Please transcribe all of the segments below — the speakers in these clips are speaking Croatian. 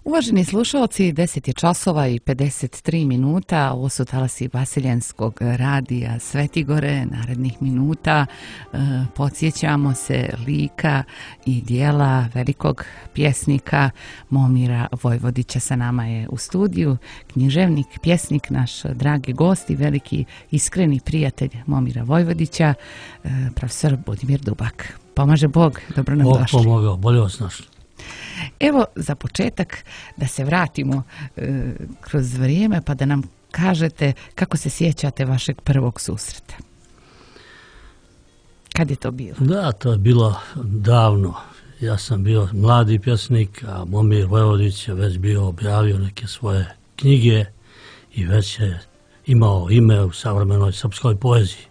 Uvaženi slušalci, 10 je časova i 53 minuta, ovo su talasi Vasiljenskog radija Svetigore. Narednih minuta podsjećamo se lika i dijela velikog pjesnika Momira Vojvodića. Sa nama je u studiju književnik, pjesnik, naš dragi gost i veliki iskreni prijatelj Momira Vojvodića, profesor Budimir Dubak. Pomaže Bog, dobro nam došli. Bog pomogao, bolje vas našli. Evo, za početak da se vratimo kroz vrijeme pa da nam kažete kako se sjećate vašeg prvog susreta. Kad je to bilo? Da, to je bilo davno. Ja sam bio mladi pjesnik, a Momir Vojvodić je već bio objavio neke svoje knjige i već je imao ime u savremenoj srpskoj poeziji.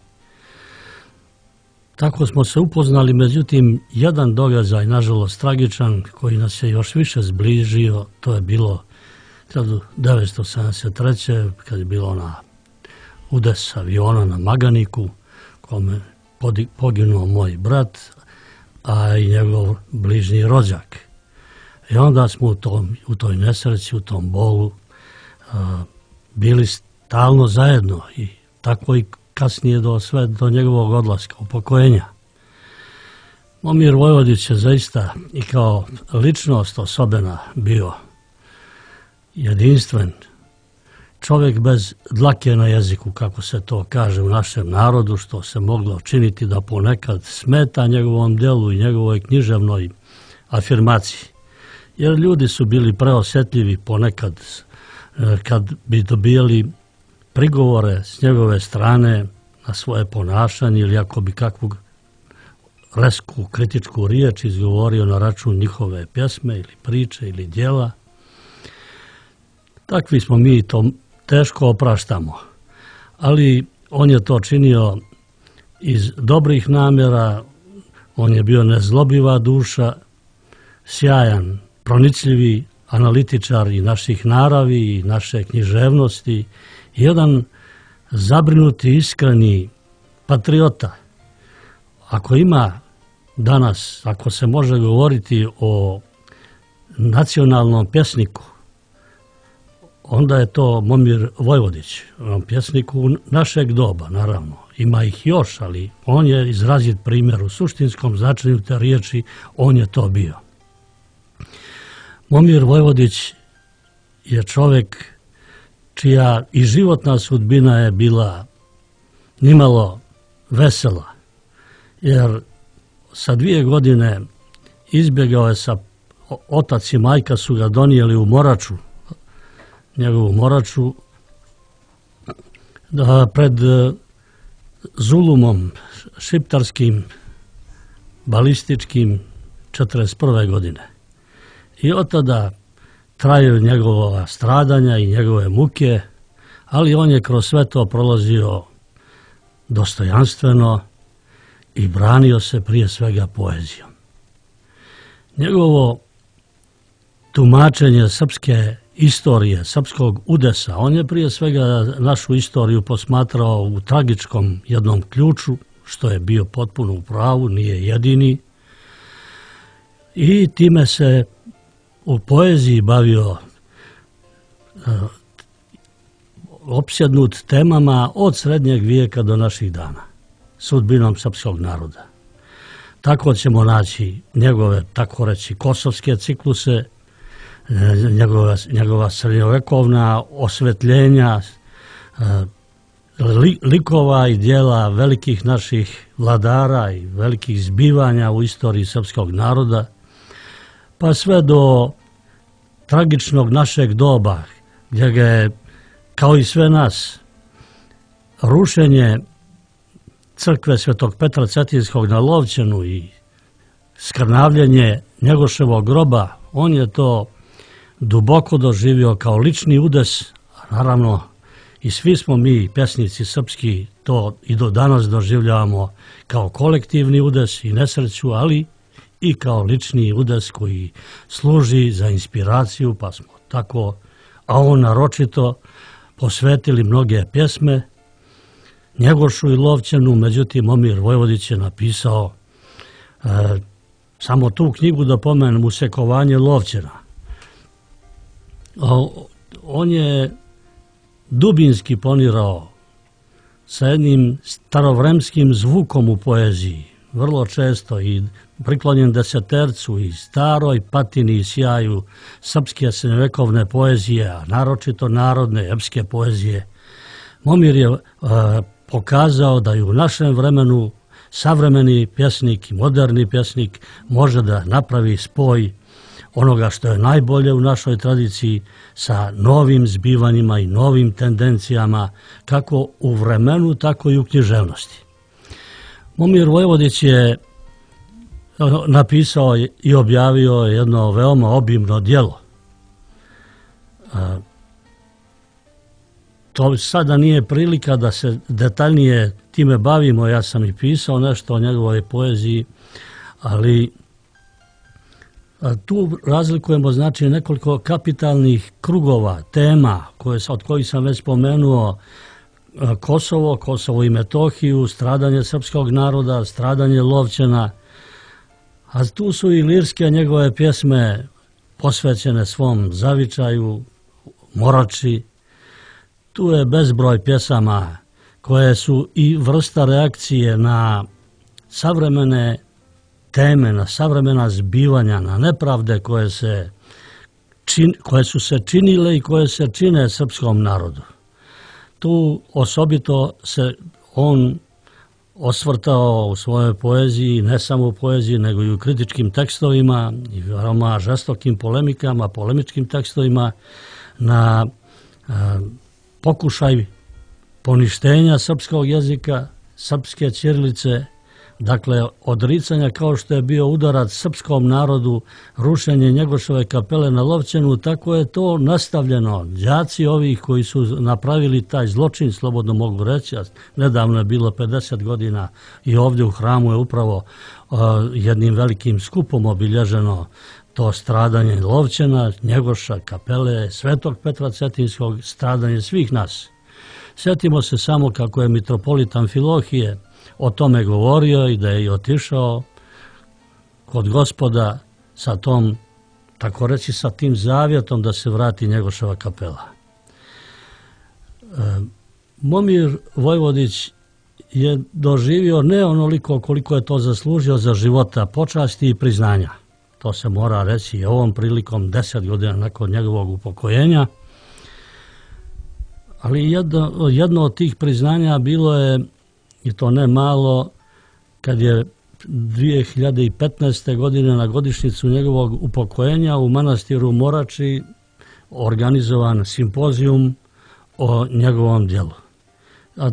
Tako smo se upoznali, međutim, jedan događaj, nažalost tragičan, koji nas je još više zbližio, to je bilo 1973. kad je bilo na udes aviona na Maganiku, kome poginuo moj brat, a i njegov bližnji rođak. I onda smo u toj nesreći, u tom bolu, bili stalno zajedno i tako i kasnije do njegovog odlaska, upokojenja. Momir Vojvodić je zaista i kao ličnost osobena bio jedinstven, čovjek bez dlake na jeziku, kako se to kaže u našem narodu, što se moglo činiti da ponekad smeta njegovom djelu i njegovoj književnoj afirmaciji. Jer ljudi su bili preosjetljivi ponekad kad bi dobijali prigovore s njegove strane na svoje ponašanje ili ako bi kakvu resku kritičku riječ izgovorio na račun njihove pjesme ili priče ili djela. Takvi smo mi, to teško opraštamo. Ali on je to činio iz dobrih namjera, on je bio nezlobiva duša, sjajan, pronicljivi analitičar i naših naravi i naše književnosti, jedan zabrinuti, iskreni patriota. Ako ima danas, ako se može govoriti o nacionalnom pjesniku, onda je to Momir Vojvodić, pjesniku našeg doba, naravno. Ima ih još, ali on je izrazit primjer u suštinskom značenju te riječi, on je to bio. Momir Vojvodić je čovjek čija i životna sudbina je bila nimalo vesela, jer sa 2 godine izbjegao je otac i majka su ga donijeli u Moraču, njegovu Moraču, pred zulumom šiptarskim, balističkim 1941. godine. I od tada traju njegova stradanja i njegove muke, ali on je kroz sve to prolazio dostojanstveno i branio se prije svega poezijom. Njegovo tumačenje srpske istorije, srpskog udesa, on je prije svega našu istoriju posmatrao u tragičkom jednom ključu, što je bio potpuno u pravu, nije jedini, i time se u poeziji bavio opsjednut temama od srednjeg vijeka do naših dana, sudbinom srpskog naroda. Tako ćemo naći njegove, tako reći, kosovske cikluse, njegova srednjovekovna osvetljenja, likova i dijela velikih naših vladara i velikih zbivanja u istoriji srpskog naroda, pa sve do tragičnog našeg doba, gdje ga je, kao i sve nas, rušenje crkve Svetog Petra Cetinskog na Lovćenu i skrnavljenje Njegoševog groba, on je to duboko doživio kao lični udes, a naravno i svi smo mi, pjesnici srpski, to i do danas doživljavamo kao kolektivni udes i nesreću, ali i kao lični udes koji služi za inspiraciju, pa smo tako, a on naročito, posvetili mnoge pjesme Njegošu i Lovćenu. Međutim, Momir Vojvodić je napisao samo tu knjigu, da pomenem, Usekovanje Lovćena. On je dubinski ponirao sa jednim starovremskim zvukom u poeziji, vrlo često i priklonjen desetercu i staroj patini i sjaju srpske srednjovekovne poezije, a naročito narodne epske poezije. Momir je pokazao da i u našem vremenu savremeni pjesnik i moderni pjesnik može da napravi spoj onoga što je najbolje u našoj tradiciji sa novim zbivanjima i novim tendencijama, kako u vremenu, tako i u književnosti. Momir Vojvodić je napisao i objavio jedno veoma obimno djelo. To sada nije prilika da se detaljnije time bavimo, ja sam i pisao nešto o njegovoj poeziji, ali tu razlikujemo znači nekoliko kapitalnih krugova, tema od kojih sam već spomenuo: Kosovo i Metohiju, stradanje srpskog naroda, stradanje Lovćena, a tu su i lirske njegove pjesme posvećene svom zavičaju, Morači. Tu je bezbroj pjesama koje su i vrsta reakcije na savremene teme, na savremena zbivanja, na nepravde koje su se činile i koje se čine srpskom narodu. Tu osobito se on osvrtao u svojoj poeziji, ne samo u poeziji, nego i u kritičkim tekstovima i veoma žestokim polemičkim tekstovima na pokušaj poništenja srpskog jezika, srpske ćirilice, dakle odricanja kao što je bio udarac srpskom narodu, rušenje Njegoševe kapele na Lovćenu, tako je to nastavljeno. Đaci ovih koji su napravili taj zločin, slobodno mogu reći, nedavno je bilo 50 godina i ovdje u hramu je upravo jednim velikim skupom obilježeno to stradanje Lovćena, Njegoša, kapele, Svetog Petra Cetinskog, stradanje svih nas. Sjetimo se samo kako je mitropolit Amfilohije o tome govorio i da je i otišao kod Gospoda sa tom, tako reći, sa tim zavjetom da se vrati Njegoševa kapela. Momir Vojvodić je doživio ne onoliko koliko je to zaslužio za života, počasti i priznanja. To se mora reći i ovom prilikom 10 godina nakon njegovog upokojenja. Ali jedno od tih priznanja bilo je, i to ne malo, kad je 2015. godine na godišnjicu njegovog upokojenja u manastiru Morači organizovan simpozijum o njegovom djelu. A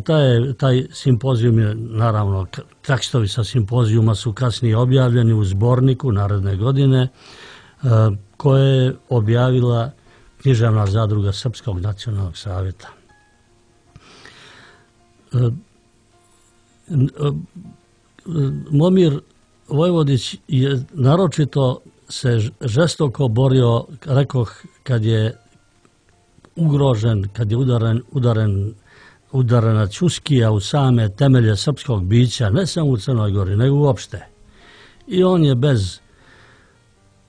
taj simpozijum je, naravno, tekstovi sa simpozijuma su kasnije objavljeni u zborniku naredne godine, koje je objavila Književna zadruga Srpskog nacionalnog savjeta. Momir Vojvodić je naročito se žestoko borio, rekoh, kad je ugrožen, kad je udarena Ćuskija u same temelje srpskog bića, ne samo u Crnoj Gori, nego uopšte. I on je bez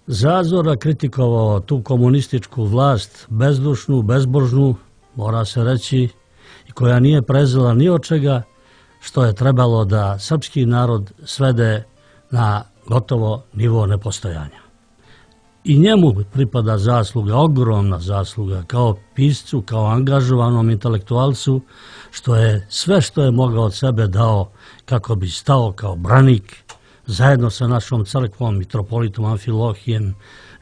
zazora kritikovao tu komunističku vlast, bezdušnu, bezbožnu, mora se reći, i koja nije prezela ni od čega, što je trebalo da srpski narod svede na gotovo nivo nepostojanja. I njemu pripada zasluga, ogromna zasluga, kao piscu, kao angažovanom intelektualcu, što je sve što je mogao od sebe dao kako bi stao kao branik zajedno sa našom crkvom, mitropolitom Amfilohijem,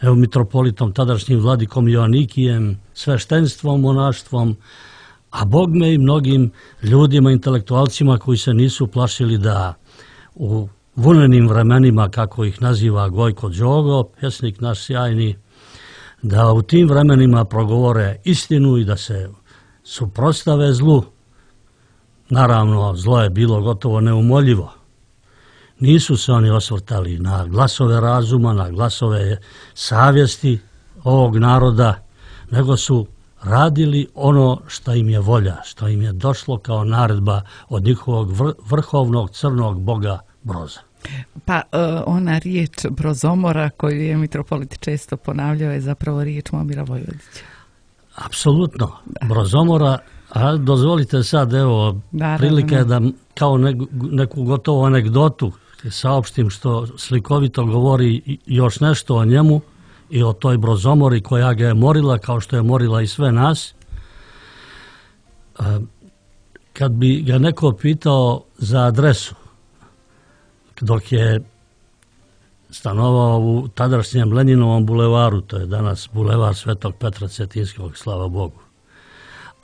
mitropolitom tadašnjim vladikom Joanikijem, sveštenstvom, monaštvom, a bogme i mnogim ljudima, intelektualcima koji se nisu plašili da u vunenim vremenima, kako ih naziva Gojko Đogo, pjesnik naš sjajni, da u tim vremenima progovore istinu i da se suprotstave zlu. Naravno, zlo je bilo gotovo neumoljivo. Nisu se oni osvrtali na glasove razuma, na glasove savjesti ovog naroda, nego su radili ono što im je volja, što im je došlo kao naredba od njihovog vrhovnog crnog boga Broza. Pa ona riječ Brozomora koju je mitropolit često ponavljao je zapravo riječ Momira Vojvodića. Apsolutno. Brozomora, a dozvolite sad, evo, prilika je da kao neku gotovu anegdotu saopštim što slikovito govori još nešto o njemu i o toj Brozomori koja ga je morila kao što je morila i sve nas. Kad bi ga neko pitao za adresu, dok je stanovao u tadašnjem Lenjinovom bulevaru, to je danas bulevar Svetog Petra Cetinskog, slava Bogu.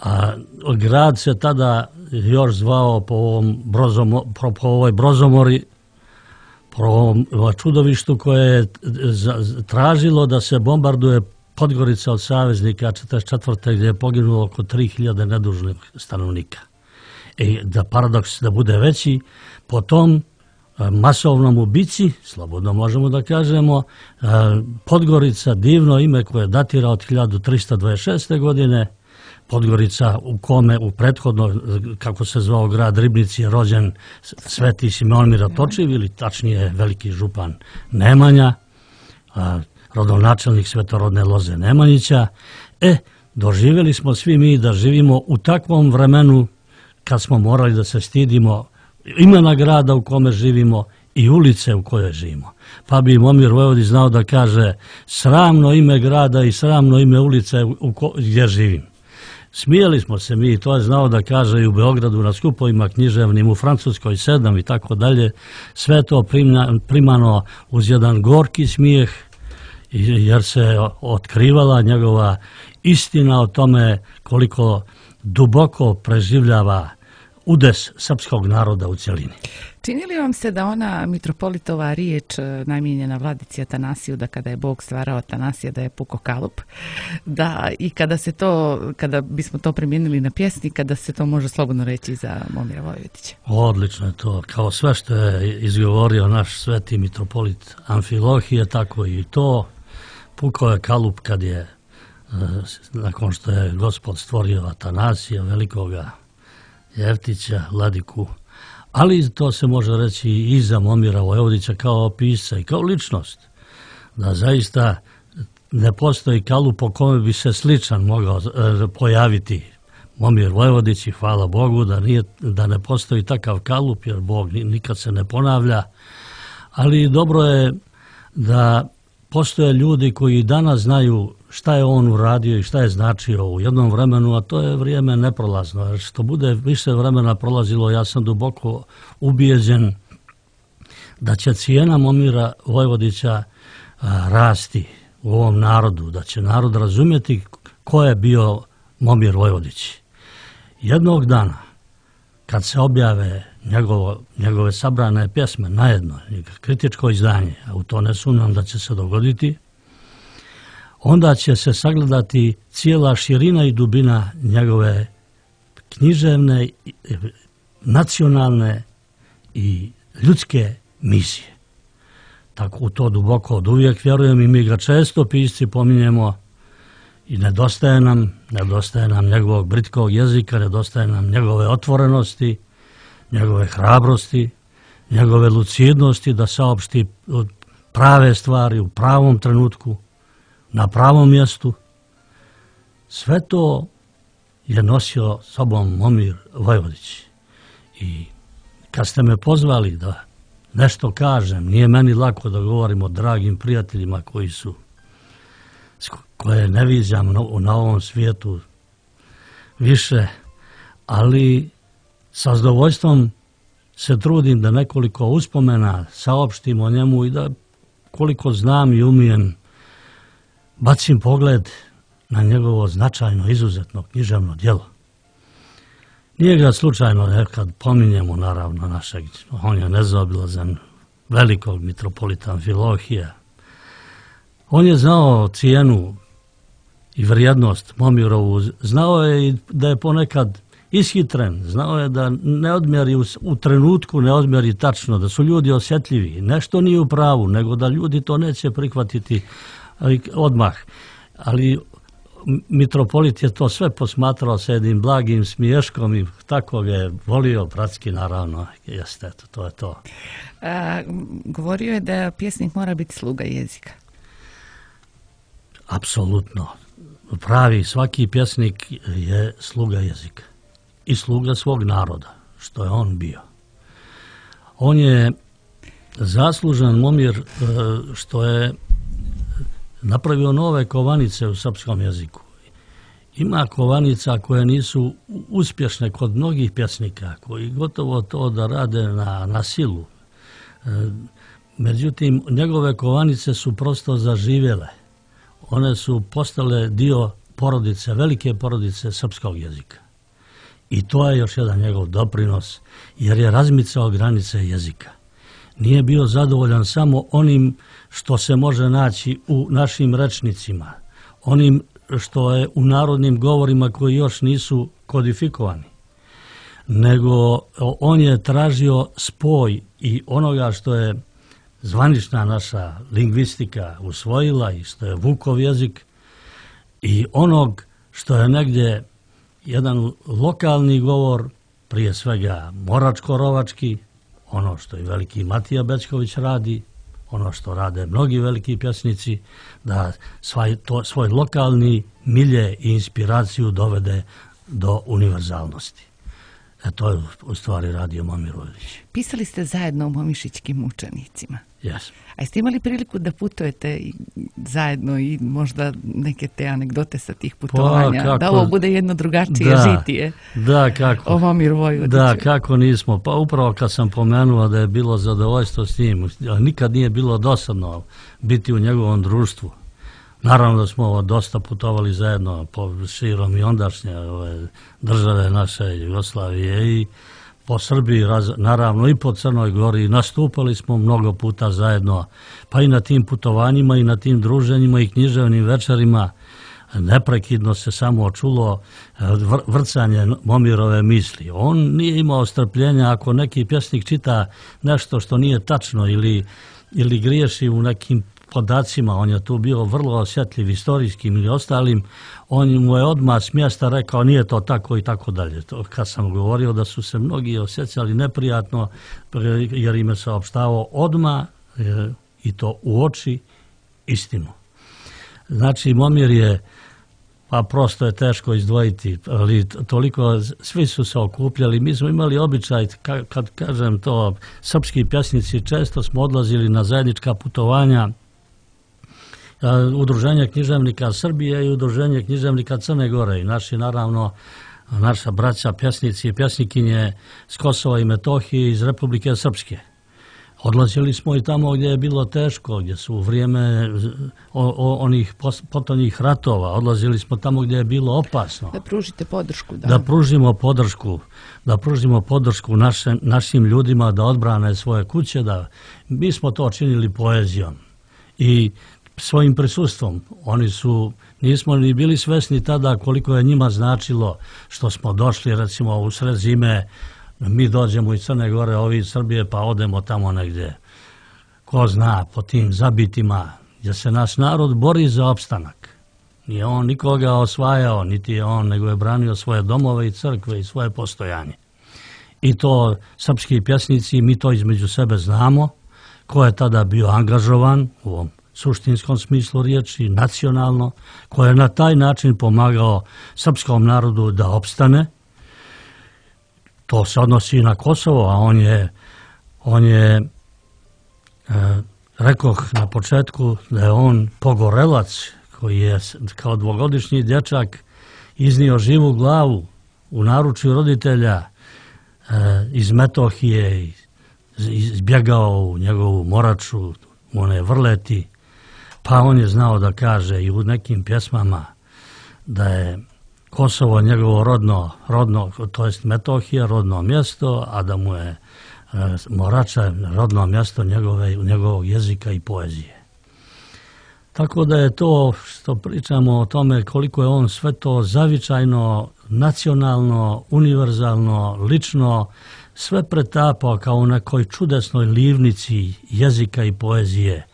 A grad se tada još zvao po ovoj Brozomori, po ovom čudovištu koje je tražilo da se bombarduje Podgorica od saveznika 1944. gdje je poginulo oko 3000 nedužnih stanovnika. I da paradoks da bude veći, po tom masovnom ubici, slobodno možemo da kažemo, Podgorica, divno ime koje datira od 1326. godine, Podgorica u kome u prethodno, kako se zvao grad Ribnici, je rođen Sveti Simeon Miratočiv, ili tačnije veliki župan Nemanja, rodonačelnik svetorodne loze Nemanjića. Doživjeli smo svi mi da živimo u takvom vremenu kad smo morali da se stidimo imena grada u kome živimo i ulice u kojoj živimo. Pa bi Momir Vojvodić znao da kaže sramno ime grada i sramno ime ulice gdje živim. Smijeli smo se mi, to je znao da kaže i u Beogradu na skupovima književnim, u Francuskoj 7 i tako dalje. Sve to primano uz jedan gorki smijeh, jer se otkrivala njegova istina o tome koliko duboko preživljava udes srpskog naroda u cjelini. Čini li vam se da ona mitropolitova riječ namijenjena vladici Atanasiju, da kada je Bog stvarao Atanasija da je puko kalup, da i kada bismo to primijenili na pjesnika, da se to može slobodno reći za Momira Vojvodića? Odlično je to. Kao sve što je izgovorio naš sveti mitropolit Amfilohije, tako i to. Puko je kalup kad je, nakon što je Gospod stvorio Atanasija, velikoga Jeftića, Vladiku, ali to se može reći i za Momira Vojvodića kao pisca i kao ličnost, da zaista ne postoji kalup po kome bi se sličan mogao pojaviti Momir Vojvodić i hvala Bogu da ne postoji takav kalup, jer Bog nikad se ne ponavlja, ali dobro je da postoje ljudi koji danas znaju šta je on uradio i šta je značio u jednom vremenu, a to je vrijeme neprolazno. Jer što bude više vremena prolazilo, ja sam duboko ubijeđen da će cijena Momira Vojvodića rasti u ovom narodu, da će narod razumjeti ko je bio Momir Vojvodić. Jednog dana, kad se objave njegove sabrane pjesme najedno, kritičko izdanje, a u to ne sumnjam da će se dogoditi, onda će se sagledati cijela širina i dubina njegove književne, nacionalne i ljudske misije. Tako u to duboko od uvijek vjerujem i mi ga često pisci pominjemo i nedostaje nam njegovog britkog jezika, nedostaje nam njegove otvorenosti, njegove hrabrosti, njegove lucidnosti da saopšti prave stvari u pravom trenutku, na pravom mjestu. Sve to je nosio sobom Momir Vojvodić. I kad ste me pozvali da nešto kažem, nije meni lako da govorim o dragim prijateljima koje ne viđam na ovom svijetu više, ali sa zadovoljstvom se trudim da nekoliko uspomena saopštim o njemu i da koliko znam i umijem bacim pogled na njegovo značajno, izuzetno književno djelo. Nije ga slučajno nekad pominjemo, naravno, našeg, on je nezaobilazan, velikog mitropolita Amfilohija. On je znao cijenu i vrijednost Momirovu, znao je i da je ponekad ishitren, znao je da ne odmjeri u trenutku, ne odmjeri tačno, da su ljudi osjetljivi, nešto nije u pravu, nego da ljudi to neće prihvatiti odmah. Ali mitropolit je to sve posmatrao sa jednim blagim smiješkom i tako ga je volio, bratski naravno, jeste, to je to. Govorio je da pjesnik mora biti sluga jezika. Apsolutno. pravi svaki pjesnik je sluga jezika i sluga svog naroda, što je on bio. On je zaslužan Momir što je napravio nove kovanice u srpskom jeziku. Ima kovanica koje nisu uspješne kod mnogih pjesnika, koji gotovo to da rade na silu. Međutim, njegove kovanice su prosto zaživjele. One su postale dio porodice, velike porodice srpskog jezika. I to je još jedan njegov doprinos, jer je razmicao granice jezika. Nije bio zadovoljan samo onim što se može naći u našim rečnicima, onim što je u narodnim govorima koji još nisu kodifikovani, nego on je tražio spoj i onoga što je zvanična naša lingvistika usvojila i što je Vukov jezik i onog što je negdje jedan lokalni govor, prije svega moračko-rovački, ono što i veliki Matija Bećković radi, ono što rade mnogi veliki pjesnici, da svoj lokalni milje i inspiraciju dovede do univerzalnosti. To je u stvari radio Momir Vojvodić. Pisali ste zajedno o momišićkim učenicima. Yes. A jeste imali priliku da putujete zajedno i možda neke te anegdote sa tih putovanja? Kako, da ovo bude jedno drugačije žitije. Da, kako? O Momiru Vojvodiću. Da, kako nismo. Pa upravo kad sam pomenuo da je bilo zadovoljstvo s njim, nikad nije bilo dosadno biti u njegovom društvu. Naravno da smo dosta putovali zajedno po širom i ondašnje države naše Jugoslavije i po Srbiji, naravno i po Crnoj Gori. Nastupali smo mnogo puta zajedno, pa i na tim putovanjima i na tim druženjima i književnim večerima. Neprekidno se samo čulo vrcanje Momirove misli. On nije imao strpljenja ako neki pjesnik čita nešto što nije tačno ili griješi u nekim podacima, on je tu bio vrlo osjetljiv istorijskim ili ostalim, on mu je odmah s mjesta rekao nije to tako i tako dalje. To kad sam govorio da su se mnogi osjećali neprijatno jer im je saopštavao odmah i to u oči istinu. Znači Momir je, pa prosto je teško izdvojiti, ali toliko, svi su se okupljali. Mi smo imali običaj, kad kažem to, srpski pjesnici često smo odlazili na zajednička putovanja, Udruženje književnika Srbije i Udruženje književnika Crne Gore i naša braća pjesnici i pjesnikinje s Kosova i Metohije iz Republike Srpske. Odlazili smo i tamo gdje je bilo teško, gdje su u vrijeme onih potonjih ratova, odlazili smo tamo gdje je bilo opasno. Da pružite podršku. Da pružimo podršku našim ljudima da odbrane svoje kuće. Mi smo to činili poezijom i svojim prisustvom. Nismo ni bili svesni tada koliko je njima značilo što smo došli recimo u sred zime. Mi dođemo iz Crne Gore, ovi iz Srbije, pa odemo tamo negdje. Ko zna, po tim zabitima, gdje se naš narod bori za opstanak. Nije on nikoga osvajao, niti je on, nego je branio svoje domove i crkve i svoje postojanje. I to srpski pjesnici, mi to između sebe znamo, ko je tada bio angažovan u ovom suštinskom smislu riječi, nacionalno, ko je na taj način pomagao srpskom narodu da opstane. To se odnosi i na Kosovo, a on je rekoh na početku da je on pogorelac koji je kao dvogodišnji dječak iznio živu glavu u naručju roditelja iz Metohije, izbjegao u njegovu Moraču, u one Vrleti, pa on je znao da kaže i u nekim pjesmama da je Kosovo njegovo rodno, to jest Metohija, rodno mjesto, a da mu je Morača rodno mjesto njegovog jezika i poezije. Tako da je to što pričamo o tome koliko je on sve to zavičajno, nacionalno, univerzalno, lično, sve pretapao kao u nekoj čudesnoj livnici jezika i poezije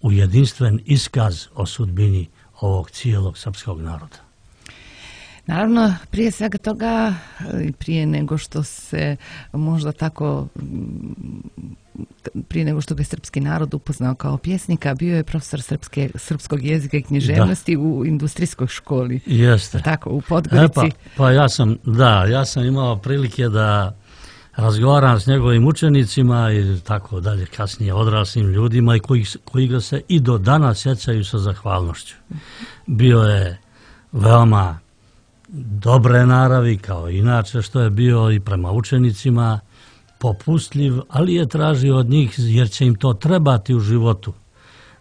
u jedinstven iskaz o sudbini ovog cijelog srpskog naroda. Naravno, prije svega toga, prije nego što se možda tako, prije nego što ga je srpski narod upoznao kao pjesnika, bio je profesor srpskog jezika i književnosti u industrijskoj školi. Jeste. Tako, u Podgorici. Pa ja sam imao prilike da razgovaram s njegovim učenicima i tako dalje, kasnije odraslim ljudima i koji ga se i do danas sjećaju sa zahvalnošću. Bio je veoma dobre naravi, kao inače što je bio i prema učenicima, popustljiv, ali je tražio od njih, jer će im to trebati u životu,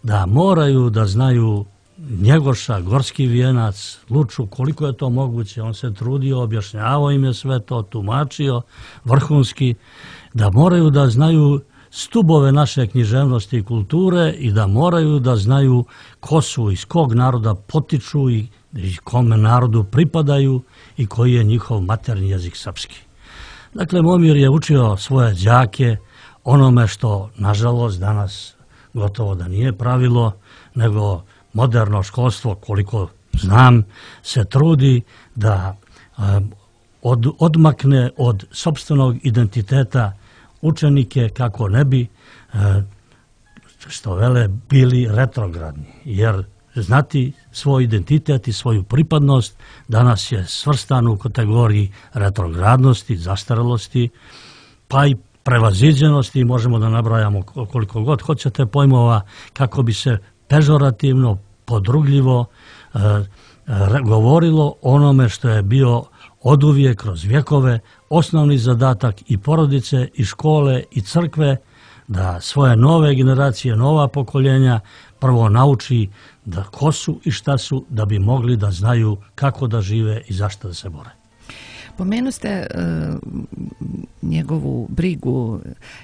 da moraju da znaju Njegoša, Gorski vijenac, Luču, koliko je to moguće. On se trudio, objašnjavao im je sve to, tumačio, vrhunski, da moraju da znaju stubove naše književnosti i kulture i da moraju da znaju ko su, iz kog naroda potiču i kome narodu pripadaju i koji je njihov maternji jezik srpski. Dakle, Momir je učio svoje đake onome što, nažalost, danas gotovo da nije pravilo, nego moderno školstvo, koliko znam, se trudi da odmakne od sopstvenog identiteta učenike kako ne bi, što vele, bili retrogradni. Jer znati svoj identitet i svoju pripadnost danas je svrstan u kategoriji retrogradnosti, zastarelosti, pa i prevaziđenosti. Možemo da nabrajamo koliko god hoćete pojmova kako bi se pežorativno, podrugljivo govorilo onome što je bio oduvijek kroz vjekove osnovni zadatak i porodice, i škole, i crkve, da svoje nove generacije, nova pokoljenja prvo nauči da ko su i šta su, da bi mogli da znaju kako da žive i zašto da se bore. Pomenu ste njegovu brigu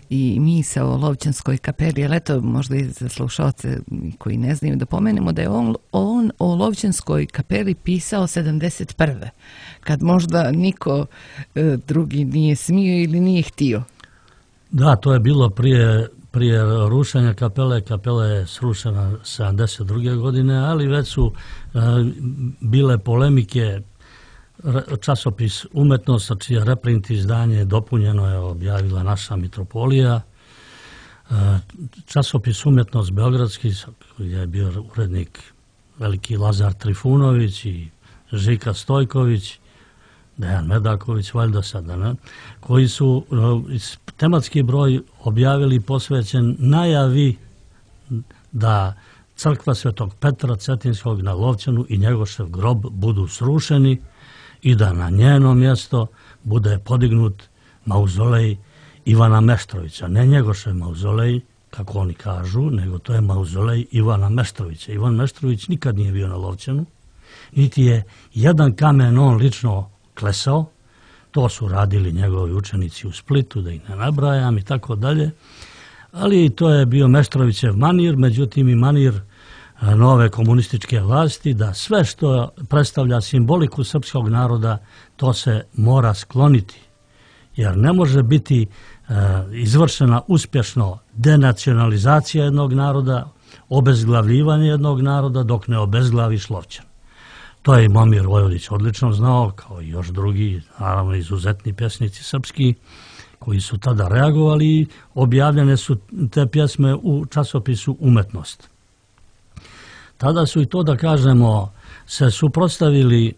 i misao o Lovćanskoj kapeli, ali eto, možda i za slušalce koji ne znaju, da pomenemo da je on o Lovćanskoj kapeli pisao 71. kad možda niko drugi nije smio ili nije htio. Da, to je bilo prije rušenja kapele. Kapela je srušena 72. godine, ali već su bile polemike. Časopis Umetnost, čije reprint izdanje dopunjeno je objavila naša mitropolija. Časopis Umetnost Beogradski, koji je bio urednik veliki Lazar Trifunović i Žika Stojković, Dejan Medaković, valjda sada, ne? Koji su tematski broj objavili posvećen najavi da crkva Svetog Petra Cetinskog na Lovćanu i Njegošev grob budu srušeni i da na njeno mjesto bude podignut mauzolej Ivana Meštrovića. Ne Njegošev mauzolej, kako oni kažu, nego to je mauzolej Ivana Meštrovića. Ivan Meštrović nikad nije bio na Lovćanu, niti je jedan kamen on lično klesao. To su radili njegovi učenici u Splitu, da ih ne nabrajam i tako dalje. Ali to je bio Meštrovićev manir, međutim i manir nove komunističke vlasti, da sve što predstavlja simboliku srpskog naroda, to se mora skloniti. Jer ne može biti izvršena uspješno denacionalizacija jednog naroda, obezglavljivanje jednog naroda dok ne obezglaviš Lovćan. To je i Momir Vojvodić odlično znao, kao i još drugi, naravno izuzetni pjesnici srpski, koji su tada reagovali i objavljene su te pjesme u časopisu Umetnost. Tada su i to, da kažemo, se suprotstavili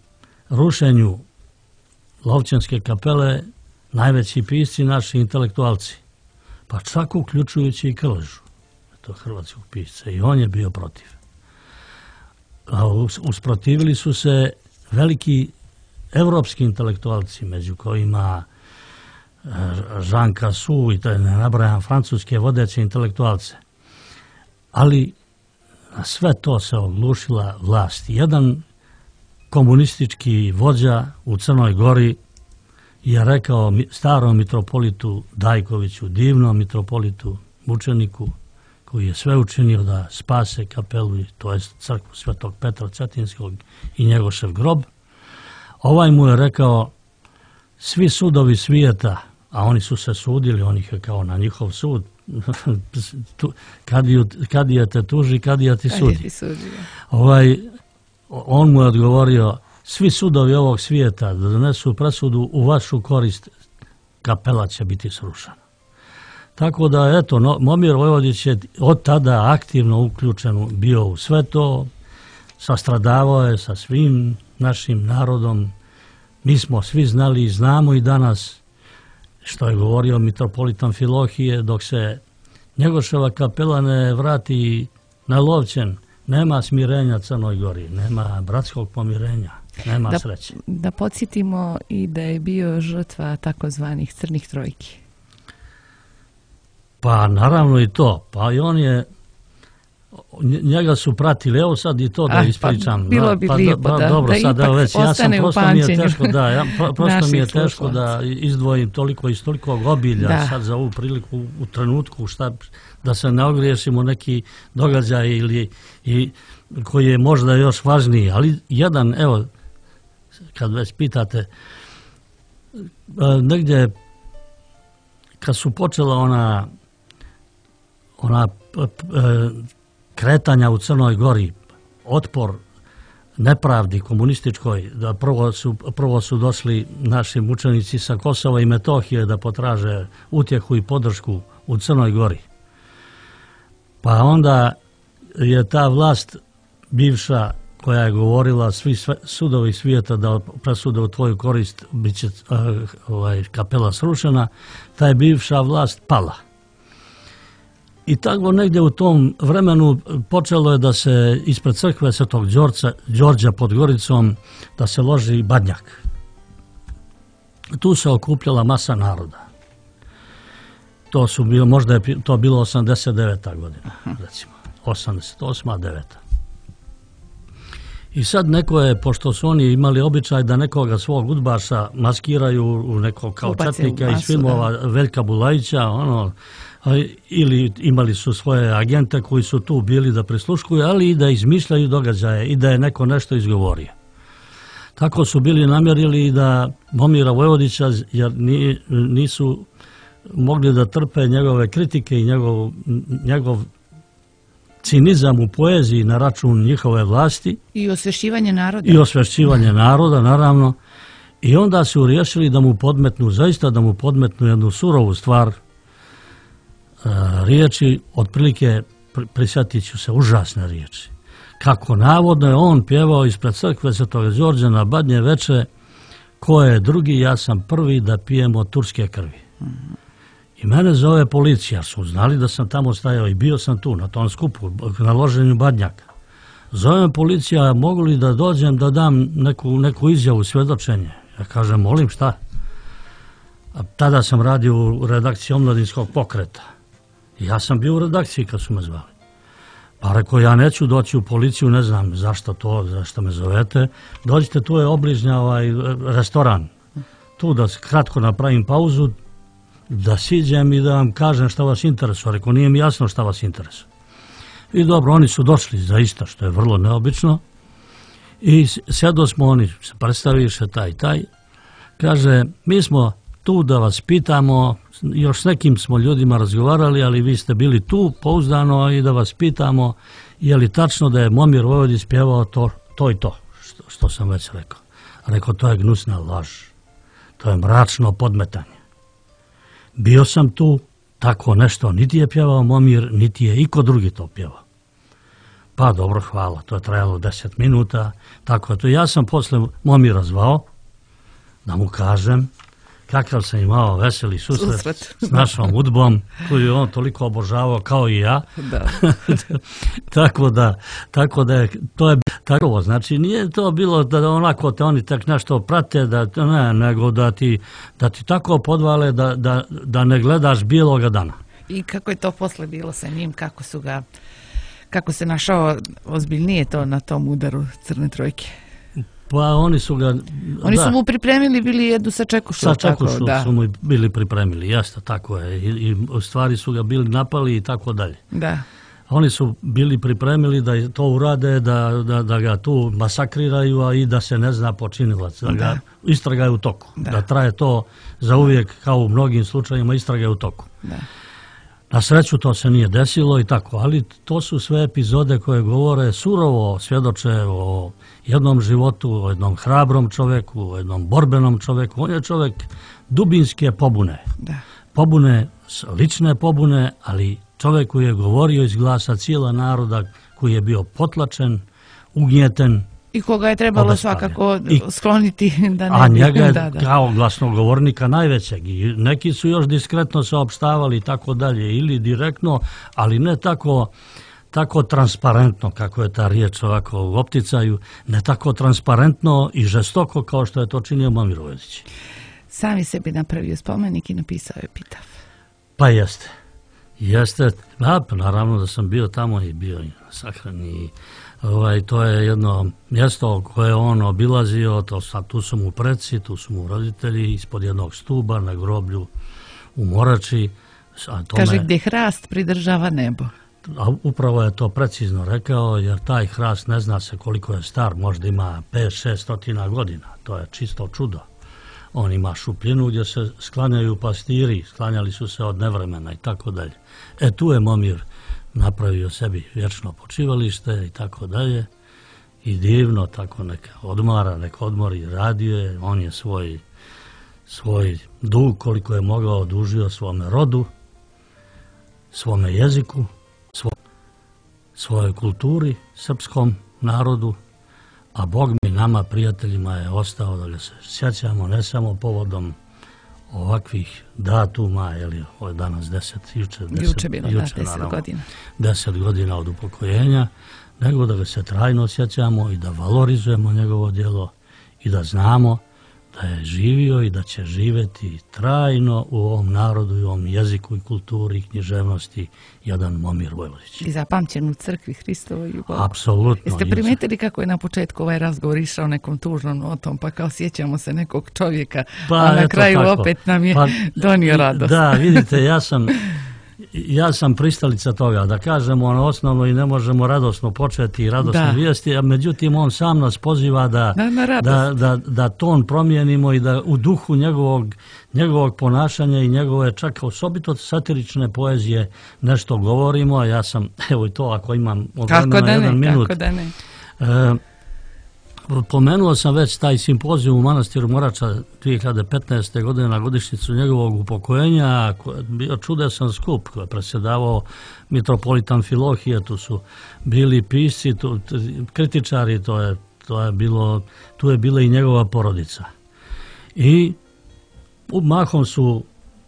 rušenju Lovćanske kapele najveći pisci, naši intelektualci, pa čak uključujući i Krležu, to hrvatskog pisca, i on je bio protiv. Usprotivili su se veliki evropski intelektualci, među kojima Jean Cassou i to ne nabrajam francuske vodeće intelektualce. Ali na sve to se oglušila vlast. Jedan komunistički vođa u Crnoj Gori je rekao starom mitropolitu Dajkoviću, divnom mitropolitu, mučeniku, koji je sve učinio da spase kapelu, to je crkvu Svetog Petra Cetinskog i Njegošev grob. Ovaj mu je rekao, svi sudovi svijeta, a oni su se sudili, on ih je kao na njihov sud, kadija te tuži, kadija ti sudi. On mu je odgovorio, svi sudovi ovog svijeta da donesu presudu u vašu korist, kapela će biti srušena. Tako da, eto, Momir Vojvodić je od tada aktivno uključen bio u sve to, sastradavao je sa svim našim narodom. Mi smo svi znali i znamo i danas, što je govorio mitropolit Amfilohije, dok se Njegoševa kapela ne vrati na Lovćen, nema smirenja Crnoj Gori, nema bratskog pomirenja, nema sreće. Da podsjetimo i da je bio žrtva takozvanih crnih trojki. Pa naravno i to. Pa i on je, njega su pratili, evo sad i to da ispričam. Pa bilo bi lijepo dobro, da sad, ipak već, ostane u pamćenju. Prosto mi je teško da izdvojim toliko iz tolikog obilja sad za ovu priliku u trenutku da se ne ogriješimo neki događaj i koji je možda još važniji. Ali jedan, evo, kad već pitate, negdje kad su počela ona kretanja u Crnoj Gori, otpor nepravdi komunističkoj, da prvo su došli naši mučenici sa Kosova i Metohije da potraže utjehu i podršku u Crnoj Gori. Pa onda je ta vlast bivša koja je govorila svi sudovi svijeta da presude u tvoju korist bit će kapela srušena, ta je bivša vlast pala. I tako negdje u tom vremenu počelo je da se ispred crkve Svetog Đorđa pod Goricom da se loži badnjak. Tu se okupljala masa naroda. Možda je to bilo 89. godina, recimo, 88. 9. I sad neko je, pošto su oni imali običaj da nekoga svog udbaša maskiraju u nekog kao četnika iz filmova Veljka Bulajića, ili imali su svoje agente koji su tu bili da prisluškuju, ali i da izmišljaju događaje i da je neko nešto izgovorio. Tako su bili namjerili i da Momira Vojvodića, jer nisu mogli da trpe njegove kritike i njegov cinizam u poeziji na račun njihove vlasti. I osvješćivanje naroda. I osvješćivanje naroda, naravno. I onda su riješili da mu podmetnu, zaista da mu podmetnu jednu surovu stvar, riječi, otprilike prisjetit ću se užasne riječi. Kako navodno je on pjevao ispred crkve Svetog Đorđa na Badnje veče, ko je drugi, ja sam prvi da pijem od turske krvi. I mene zove policija, su znali da sam tamo stajao i bio sam tu na tom skupu, na loženju badnjaka. Zove me policija, mogu li da dođem da dam neku izjavu, svjedočenje? Ja kažem, molim, šta? A tada sam radio u redakciji Omladinskog pokreta. Ja sam bio u redakciji kad su me zvali. Pa rekao, ja neću doći u policiju, ne znam zašto me zovete. Dođite, tu je obližnja restoran. Tu da kratko napravim pauzu, da siđem i da vam kažem šta vas interesuje. Rekao, nije mi jasno šta vas interesuje. I dobro, oni su došli zaista, što je vrlo neobično. I sjedo smo, oni se predstaviše taj. Kaže, mi smo tu da vas pitamo, još s nekim smo ljudima razgovarali, ali vi ste bili tu pouzdano i da vas pitamo je li tačno da je Momir Vojvodić pjevao to i to, što sam već rekao. Rekao, to je gnusna laž, to je mračno podmetanje. Bio sam tu, tako nešto niti je pjevao Momir, niti je iko drugi to pjevao. Pa dobro, hvala, to je trajalo 10 minuta, tako je to. Ja sam posle Momira zvao da mu kažem kakav sam imao veseli susret s našom udbom koju je on toliko obožavao kao i ja. Tako da je to je tako. Znači nije to bilo da onako te oni tak nešto prate, nego da ti tako podvale da ne gledaš bijeloga dana. I kako je to posle bilo sa njim, kako se našao ozbiljnije to na tom udaru Crne trojke? Pa oni su ga... Oni su mu pripremili bili jedu sa čekušu. Sa čekušu su mu bili pripremili, jeste, tako je. I u stvari su ga bili napali i tako dalje. Da. Oni su bili pripremili da to urade, da ga tu masakriraju, a i da se ne zna počinilac. Da ga istraga je u toku. Da traje to za uvijek, kao u mnogim slučajima, istraga je u toku. Da. Na sreću to se nije desilo i tako, ali to su sve epizode koje govore surovo, svjedoče o jednom životu, o jednom hrabrom čovjeku, o jednom borbenom čovjeku. On je čovjek dubinske pobune. Da. Pobune, lične pobune, ali čovjek koji je govorio iz glasa cijela naroda, koji je bio potlačen, ugnjeten. I koga je trebalo svakako skloniti da ne a njega je kao glasnogovornika najvećeg. I neki su još diskretno saopštavali i tako dalje, ili direktno, ali ne tako transparentno, kako je ta riječ ovako u opticaju, ne tako transparentno i žestoko kao što je to činio Momir Vojvodić. Sam je sebi napravio spomenik i napisao je epitaf. Pa jeste. Jeste. Naravno da sam bio tamo i bio sahran i to je jedno mjesto koje on obilazio, tu su mu preci, tu su mu roditelji, ispod jednog stuba na groblju u Morači. Kaže, gdje hrast pridržava nebo. A upravo je to precizno rekao, jer taj hrast ne zna se koliko je star, možda ima 5-600 godina, to je čisto čudo. On ima šupljinu gdje se sklanjaju pastiri, sklanjali su se od nevremena i tako dalje. Tu je Momir napravio sebi vječno počivalište i tako dalje. I divno tako neka odmara, neka odmori, radio je. On je svoj dug koliko je mogao odužio svome rodu, svome jeziku, svojoj kulturi, srpskom narodu, a Bog mi nama, prijateljima, je ostao da ga se sjećamo ne samo povodom ovakvih datuma, ovo je danas 10 godina. 10 godina od upokojenja, nego da ga se trajno sjećamo i da valorizujemo njegovo djelo i da znamo da je živio i da će živjeti trajno u ovom narodu i ovom jeziku i kulturi i književnosti jedan Momir Vojvodić. I zapamćen u crkvi Hristovoj i Bogu. Apsolutno. Jeste primijetili kako je na početku ovaj razgovor išao nekom tužnom notom, pa kao sjećamo se nekog čovjeka, a na kraju opet nam je donio radost. Da, vidite, ja sam pristalica toga, da kažemo ono osnovno i ne možemo radosno početi i radosne vijesti, a međutim on sam nas poziva da ton promijenimo i da u duhu njegovog ponašanja i njegove čak osobito satirične poezije nešto govorimo, a ja sam, evo i to ako imam od vremena jedan minut. Kako da ne. Pomenuo sam već taj simpozijum u manastiru Morača 2015. godine na godišnjicu njegovog upokojenja, koji je bio čudesan skup, koji je predsjedavao mitropolitan Filohije, tu su bili pisci, kritičari, tu je bila i njegova porodica. I mahom su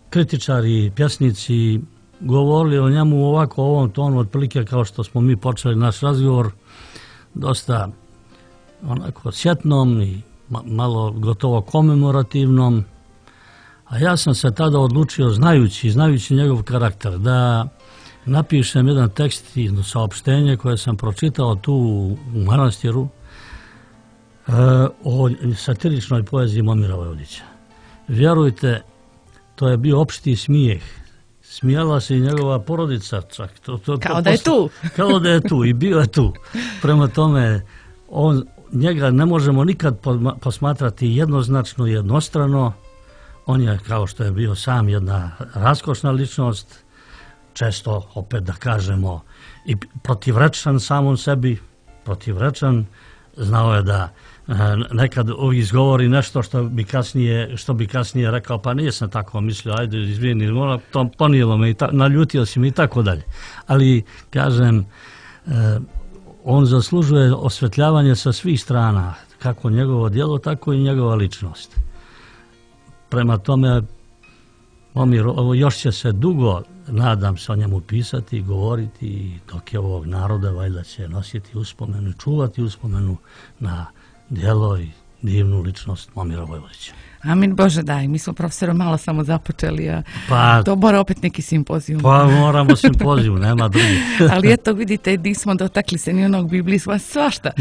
kritičari i pjesnici govorili o njemu ovako, u ovom tonu, otprilike kao što smo mi počeli naš razgovor, dosta onako sjetnom i malo gotovo komemorativnom, a ja sam se tada odlučio, znajući njegov karakter, da napišem jedan tekst i jedno saopštenje koje sam pročitao tu u manastiru o satiričnoj poeziji Momira Vojvodića. Vjerujte, to je bio opšti smijeh. Smijala se i njegova porodica čak. Kao da je tu. Kao da je tu i bio je tu. Prema tome, njega ne možemo nikad posmatrati jednoznačno, jednostrano. On je, kao što je bio sam, jedna raskošna ličnost, često, opet da kažemo, i protivrečan samom sebi, znao je da nekad izgovori nešto što bi kasnije rekao, pa nisam tako mislio, ajde izvini, ponijelo me, naljutio si mi i tako dalje. Ali, kažem, on zaslužuje osvetljavanje sa svih strana, kako njegovo djelo, tako i njegova ličnost. Prema tome, Momir, još će se dugo, nadam se, o njemu pisati i govoriti, i dok je ovog naroda, valjda će nositi uspomenu i čuvati uspomenu na djelo i divnu ličnost Momira Vojvodića. Amin Bože daj, mi smo profesorom malo samo započeli, a to mora opet neki simpozijum. Pa moramo simpozijum, nema drugi. Ali eto vidite, nismo dotakli se ni onog biblijskog, svašta.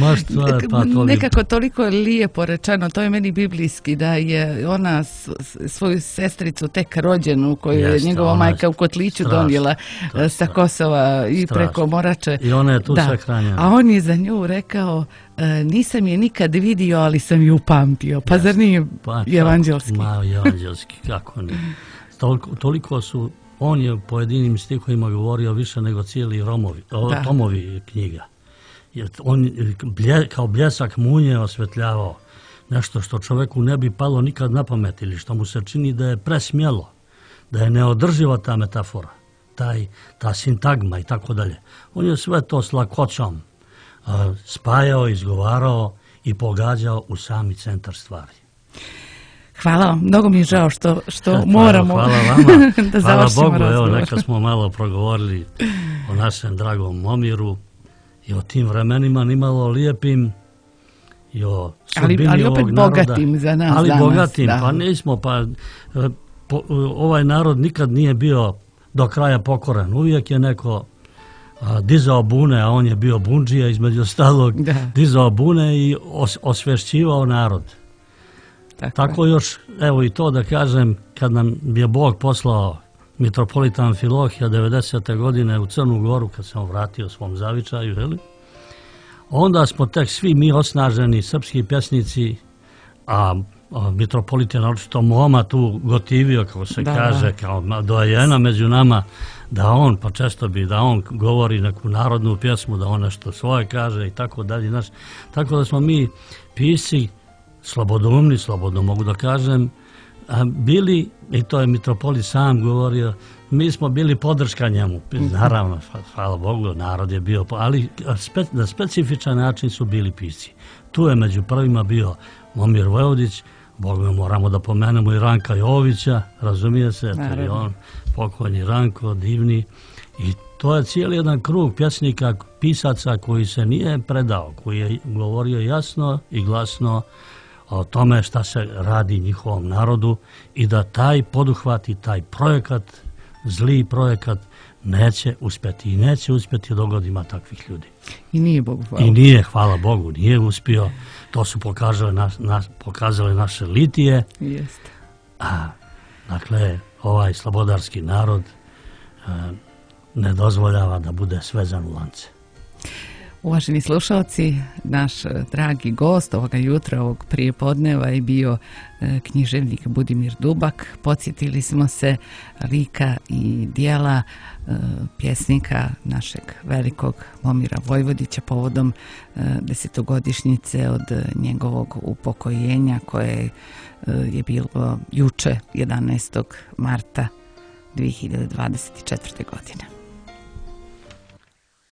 Nekako toliko je lijepo rečeno, to je meni biblijski, da je ona svoju sestricu tek rođenu, koju je njegova majka u kotliću donijela sa Kosova i preko Morače. I ona je tu sahranjena. A on je za nju rekao, nisam je nikad vidio, ali sam ju upamtio. Pa zar nije evanđelski? Evanđelski, kako ne. Toliko su on je u pojedinim stihovima govorio više nego cijeli tomovi knjiga. Jer on kao bljesak munje osvetljavao nešto što čoveku ne bi palo nikad na pamet ili što mu se čini da je presmjelo, da je neodrživa ta metafora, ta sintagma i tako dalje. On je sve to s lakoćom spajao, izgovarao i pogađao u sami centar stvari. Hvala vam, mnogo mi je žao što moramo da završimo razgovor. Hvala Bogu, evo neka smo malo progovorili o našem dragom Momiru i o tim vremenima nimalo lijepim i o sudbini ovog naroda. Ali opet bogatim za nas ali danas. Bogatim, da. Pa nismo, ovaj narod nikad nije bio do kraja pokoran. Uvijek je neko dizao bune, a on je bio bundžija između ostalog, dizao bune i osvješćivao narod. Tako još, evo i to da kažem, kad nam je Bog poslao mitropolita Amfilohija 90. godine u Crnu Goru, kad sam vratio svom zavičaju, onda smo tek svi mi osnaženi srpski pjesnici, a mitropolit je naročito Moma tu gotivio, kako se kaže, kao dojena među nama, da on, pa često bi, da on govori neku narodnu pjesmu, da on nešto svoje kaže i tako dalje. Tako da smo mi pisci slobodoumni, slobodno mogu da kažem, bili, i to je mitropolit sam govorio, mi smo bili podrška njemu. Naravno, hvala Bogu, narod je bio, ali na specifičan način su bili pisci. Tu je među prvima bio Momir Vojvodić, Boga moramo da pomenemo i Ranka Jovića, razumije se, to je on, pokojni Ranko, divni. I to je cijeli jedan krug pjesnika, pisaca koji se nije predao, koji je govorio jasno i glasno o tome šta se radi njihovom narodu i da taj poduhvat i taj projekat, zli projekat, neće uspjeti i neće uspjeti dok god ima takvih ljudi. I nije Bogu hvala. I nije, hvala Bogu, nije uspio. To su pokazale naše litije. Jeste. Dakle, ovaj slobodarski narod ne dozvoljava da bude svezan u lance. Uvaženi slušalci, naš dragi gost ovoga jutra, ovog prijepodneva je bio književnik Budimir Dubak. Podsjetili smo se lika i dijela pjesnika našeg velikog Momira Vojvodića povodom 10-godišnjice od njegovog upokojenja koje je bilo juče 11. marta 2024. godine.